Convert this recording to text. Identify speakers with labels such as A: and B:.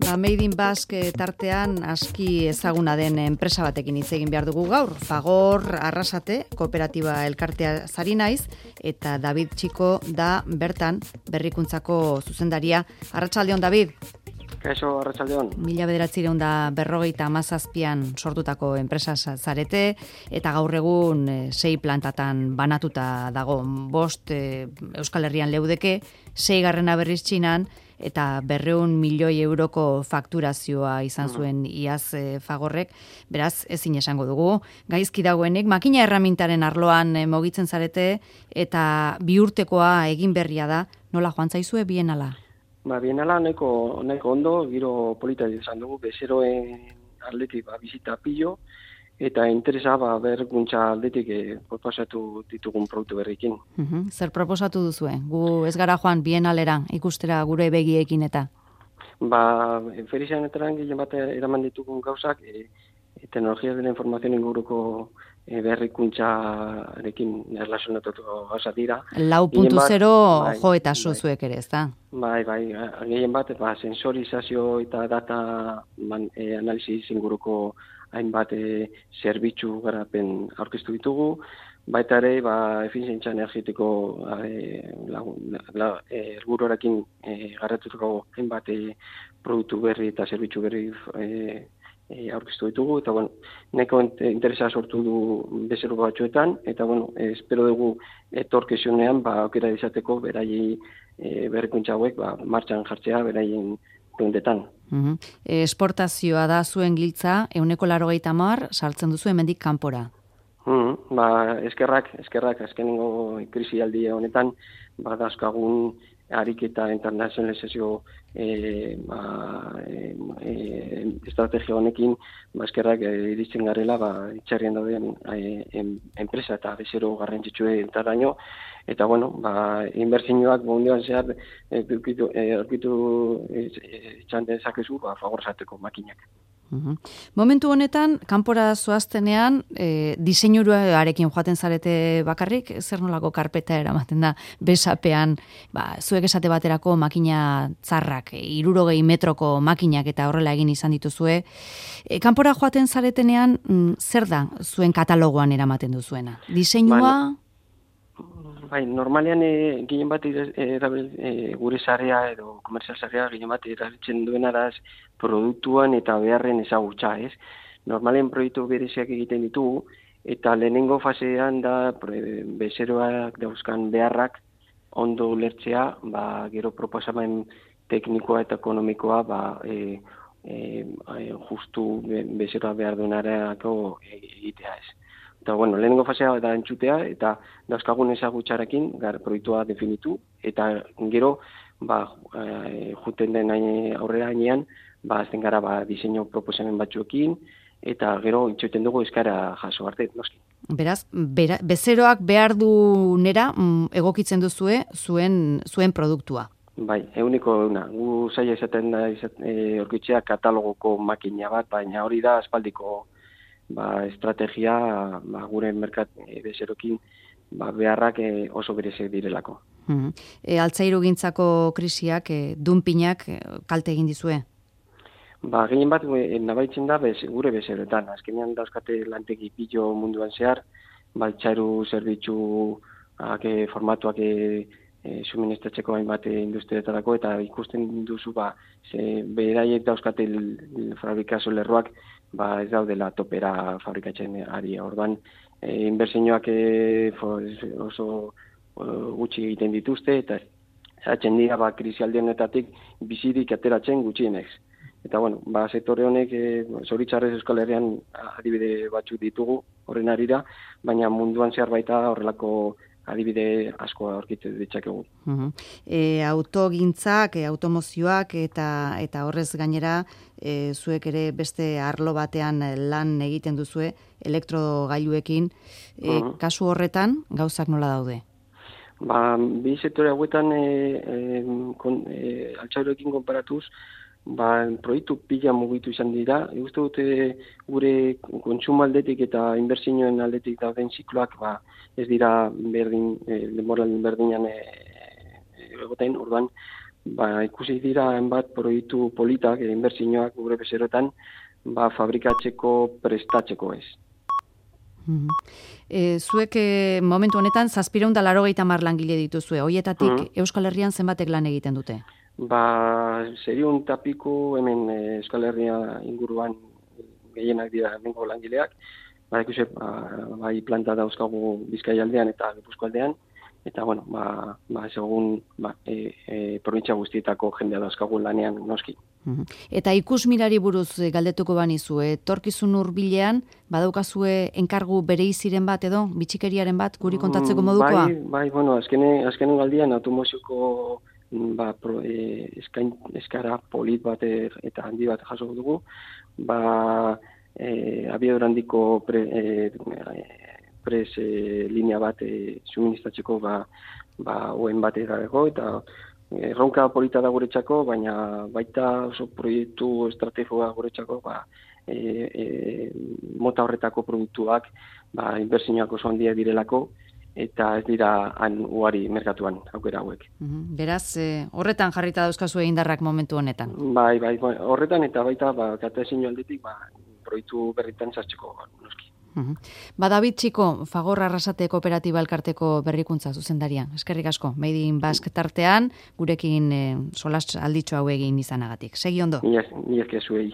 A: Made in Basque tartean aski ezaguna den enpresa batekin hitz egin behar dugu gaur. Fagor Arrasate kooperatiba elkartea zari naiz eta David Txiko da bertan berrikuntzako zuzendaria. Arratsaldeon, David.
B: Kaixo, arratsaldeon.
A: 1957an sortutako enpresa zarete eta gaur egun 6 plantatan banatuta dago. 5 Euskal Herrian leudeke, 6. berriz Txinan, eta 200 milioi euroko fakturazioa izan zuen iaz Fagorrek, beraz ezin esango dugu. Gaizki dagoenik, makina erramintaren arloan mugitzen zarete eta 2 urtekoa egin berria da, nola joan zaizue bienala?
B: Bienala nahiko ondo, giro polita izan dugu, bezeroen aldetik bizita pilo, eta interesa berrikuntza aldetik proposatu ditugun produktu berrikin.
A: Zer proposatu duzue? Gu ez gara joan bienalera ikustera gure begiekin eta?
B: Ferizianetaren gehien bat eraman ditugun gauzak, teknologia de la informazioen inguruko berrikuntzarekin erlazionatuko gauza dira.
A: 4.0 jo eta zuek ere, ez da?
B: Gehien bat, sensorizazio eta data analiziz inguruko hainbat zerbitzu garapen aurkeztu ditugu, baita ere, efizientzia energetiko helburuarekin garratutako hainbat produktu berri eta zerbitzu berri aurkeztu ditugu, eta nahiko interesa sortu du bezero batzuetan, eta espero dugu etorkizunean aukera izateko beraiei berrikuntza hauek martxan jartzea beraien puntetan.
A: Esportazioa da zuen giltza, 180 saltzen duzu hemendik kanpora.
B: Eskerrak, azkenengo krisialdi honetan, dauzkagun ariketa internazionalizazio estrategia honekin, eskerrak iritzen garela, itxarrian dauden enpresa eta bezero garrantzitsue entaraino, eta inbertsioak munduan zehar aurkitu itxan dezakezu Fagor zateko makinak.
A: Momentu honetan, kanpora zoaztenean, diseinuruarekin joaten zarete bakarrik, zer nolako karpeta eramaten da besapean, zuek esate baterako makina tzarrak, 60 metroko makinak eta horrela egin izan dituzue. Kanpora joaten zaretenean, zer da zuen katalogoan eramaten duzuena? Diseinua?
B: Normalean gehien bat gure sarea edo komerzial sarea gehien bat erabiltzen duen araz produktuan eta beharren ezagutza, ez? Normalean proiektu bereziak egiten ditugu, eta lehenengo fasean da bezeroak dauzkan beharrak ondo ulertzea, gero proposamen teknikoa eta ekonomikoa justu bezeroa behar duenarako egitea, ez? Eta, lehenengo fasea da entzutea, eta dauzkagun ezagutxarekin proiektua definitu, eta gero, juten den aurrera hainean, azten gara diseinu proposamen batzuekin, eta gero itxoiten dugu eskara jaso arte, noski.
A: Beraz, bezeroak behar du nera egokitzen duzue zuen produktua.
B: Euniko euna. Gu zaila izaten da orkitzea katalogoko makina bat, baina hori da aspaldiko estrategia gure merkat bezerokin beharrak oso berezek direlako.
A: Altzairugintzako krisiak, dunpinak kalte egin dizue?
B: Gehien bat nabaitzen da gure bezeroetan. Azkenean dauzkate lantegi pilo munduan zehar, altzairu zerbitzu formatuak suministratzeko hainbat industrietarako, eta ikusten duzu beraiek dauzkate fabrikazio lerroak ez daudela topera fabrikatzen ari. Orduan, inbertsioak oso gutxi egiten dituzte, eta zaitzen dira krisialdienetatik bizirik ateratzen gutxienez. Eta, sektore honek, zoritzarrez Euskal Herrian adibide batzuk ditugu horren arira, baina munduan zehar baita horrelako adibide asko aurkitzen ditzakegu.
A: Autogintzak, automozioak eta horrez gainera, zuek ere beste arlo batean lan egiten duzue, elektrogailuekin. Kasu horretan, gauzak nola daude?
B: Bi sektore hauetan altzairuekin konparatuz, proiektu pila mugitu izan dira. Uste dute gure kontsumo aldetik eta inbertsioen aldetik dauden zikloak ez dira denboran berdinan egoten, orduan ikusi dira hainbat proiektu politak, inbertsioak gure bezerotan, fabrikatzeko prestatzeko ez.
A: Zuek momentu honetan 780 langile dituzue, hoietatik Euskal Herrian zenbatek lan egiten dute?
B: 100 eta piku hemen Euskal Herria inguruan gehienak dira hemengo langileak, ikusi, bai planta dauzkagu Bizkaialdean eta Gipuzkoaldean, eta bueno, segun probintzia guztietako jendea dauzkagu lanean noski.
A: Eta ikusmirari buruz galdetuko banizu, etorkizun hurbilean badaukazue enkargu bereiziren bat edo bitxikeriaren bat guri kontatzeko modukoa?
B: Bai, bueno, azkenen galdian automozioko eskara polit bat eta handi bat jaso dugu, abiadura handiko pres linea bat suministratzeko oen bat edarego, eta erronka polita da guretzako, baina baita oso proiektu estrategikoa guretzako, mota horretako produktuak, inbertsioak oso handiak direlako, eta ez dira ugari merkatuan aukera hauek.
A: Beraz, horretan jarrita dauzkazu indarrak momentu honetan?
B: Bai, horretan eta baita katezino aldetik proiektu berritan sartzeko noski.
A: David Txiko, Fagor Arrasate Kooperatiba Elkarteko berrikuntza zuzendarian. Eskerrik asko, Made in Basque tartean, gurekin solas alditxo hau egin izanagatik. Segi ondo.
B: Mila esker zuei.